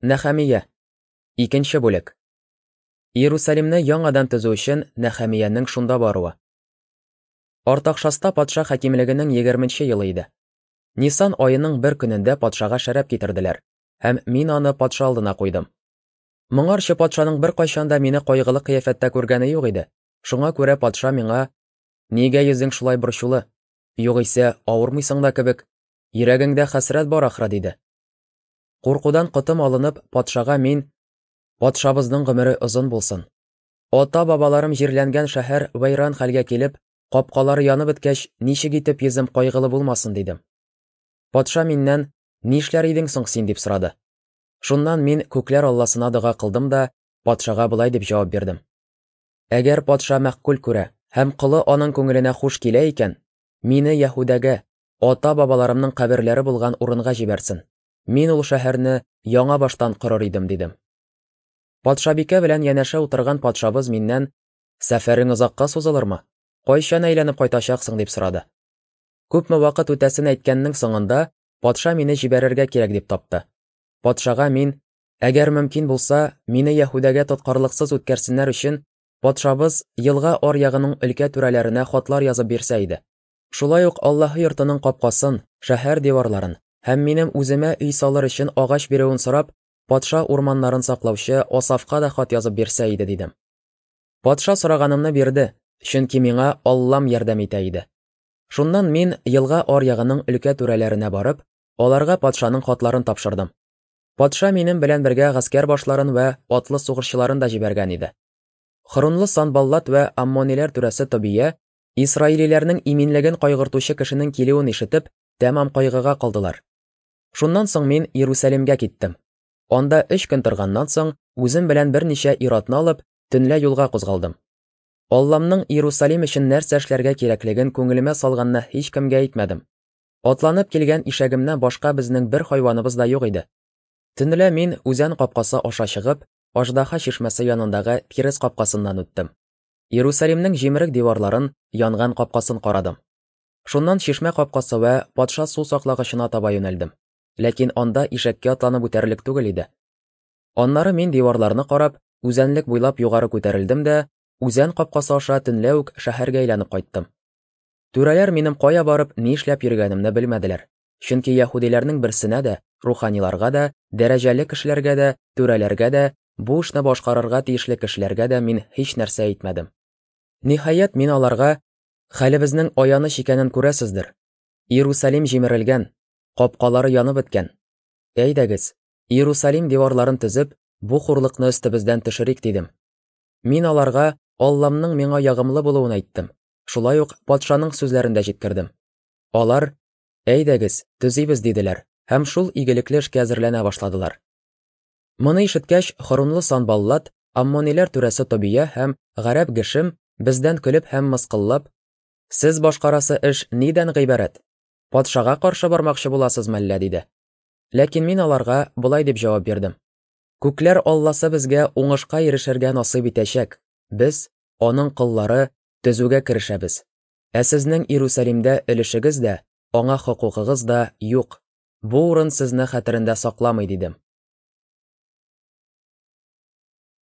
Нәхәмия. Икенче бүлек. Иерусалимны яңадан төзү өчен Нәхәмиянең шунда баруы. Артакшаста патша хакимлегенең 20 елы иде. Нисан аеның бер көнендә патшага шәраб китерделәр, һәм мин аны патша алдына куйдым. Моңарчы патшаның беркайчан да мине кайгылы кыяфәттә күргәне юк иде. Шуңа күрә патша миңа: "Нигә йөзең шулай борчулы? Югыйсә, авырмыйсың да кебек. Йөрәгеңдә хәсрәт бар ахры", диде. Куркудан котым алынып, патшага мин: "Патшабызның гомере озын булсын. Ата-бабаларым җирләнгән шәһәр вәйран хәлгә килеп, капкалары янып беткәч, ничек итеп йөзем кайгылы булмасын?" дидем. Патша миннән: "Нишләр идең соң син?" дип сорады. Шуннан мин күкләр Алласына дога кылдым да патшага болай дип җавап бирдем: Әгәр патша мәгъкуль күрә һәм колы аның күңеленә хуш килә икән, мине Яһүдәгә, ата-бабаларымның каберләре булган урынга җибәрсен. Мин ул шәһәрне яңа баштан корыр идем, дидем. Патшабикә белән янәшә утырган патшабыз миннән: "Сәфәрең озакка сузылырмы? Кайчан әйләнеп кайтачаксың?" дип сорады. Күпме вакыт үтәсен әйткәннең соңында патша мине җибәрергә кирәк дип тапты. Патшага мин: "Әгәр мөмкин булса, мине Яһүдәгә тоткарлыксыз үткәрсеннәр өчен, патшабыз елга аръягының өлкә түрәләренә хатлар язып бирсә иде. Шулай ук Аллаһы йортының капкасын, шәһәр диварларын һәм минем үземә өй салыр өчен агач бирүен сорап, патша урманнарын саклаучы Асафка да хат язып бирсә иде", дидем. Патша сораганымны бирде, чөнки миңа Аллам ярдәм итә иде. Шуннан мин елга аръягының өлкә түрәләренә барып, аларга патшаның хатларын тапшырдым. Патша минем белән бергә гаскәр башларын вә атлы сугышчыларын да җибәргән иде. Хөрунлы Санбаллат вә Аммониләр түрәсе Тобия, исраилиләрнең иминлеген кайгыртучы кешенең килүен ишетеп, тәмам кайгыга калдылар. Шуннан соң мин Иерусалимгә киттем. Анда 3 көн торганнан соң, үзем белән берничә ир-атны алып, төнлә юлга кузгалдым. Алламның Иерусалим өчен нәрсә эшләргә кирәклеген күңелемә салганны һичкемгә әйтмәдем. Атланып килгән ишәгемнән башка безнең бер хайваныбыз да юк иде. Төнлә мин үзән капкасы аша чыгып, Аждаһа чишмәсе янындагы тирес капкасыннан үттем. Иерусалимнең җимерек диварларын, янган капкасын карадым. Шуннан чишмә капкасы вә патша су саклагычына таба юнәлдем. Ләкин анда ишәккә атланып үтәрлек түгел иде. Аннары мин диварларны карап, үзәнлек буйлап югары күтәрелдем дә, үзән капкасы аша төнлә үк шәһәргә әйләнеп кайттым. Түрәләр минем кая барып, ни эшләп йөргәнемне белмәделәр. Чөнки яһүдиләрнең берсенә дә, руханиларга да, дәрәҗәле кешеләргә дә, түрәләргә дә, бу эшне башкарырга тиешле кешеләргә дә мин һич нәрсә әйтмәдем. Ниһаять, мин аларга: "Хәлебезнең аяныч икәнен күрәсездер. Иерусалим җимерелгән, капкалары янып беткән. Әйдәгез, Иерусалим диварларын төзеп, бу хурлыкны өстебездән төшерик", дидем. Мин аларга Алламның миңа ягымлы булуын әйттем. Шулай ук патшаның сүзләрен дә җиткердем. Алар: "Әйдәгез, төзибез", диделәр һәм шул игелекле эшкә әзерләнә башладылар. Моны ишеткәч, Хорунлы Санбаллат, Аммониләр түрәсе Тобия һәм гарәп Гешем бездән көлеп һәм мыскыллап: "Сез башкарасы эш нидән гыйбарәт? Патшага каршы бармакчы буласыз мәллә?" диде. Ләкин мин аларга болай дип җавап бирдем: Күкләр Алласы безгә уңышка ирешергә насыйп итәчәк. Без, аның коллары, төзүгә керешәбез. Ә сезнең Иерусалимдә өлешегез дә, аңа хокукыгыз да юк. Бу урын сезне хәтерендә сакламый, дидем.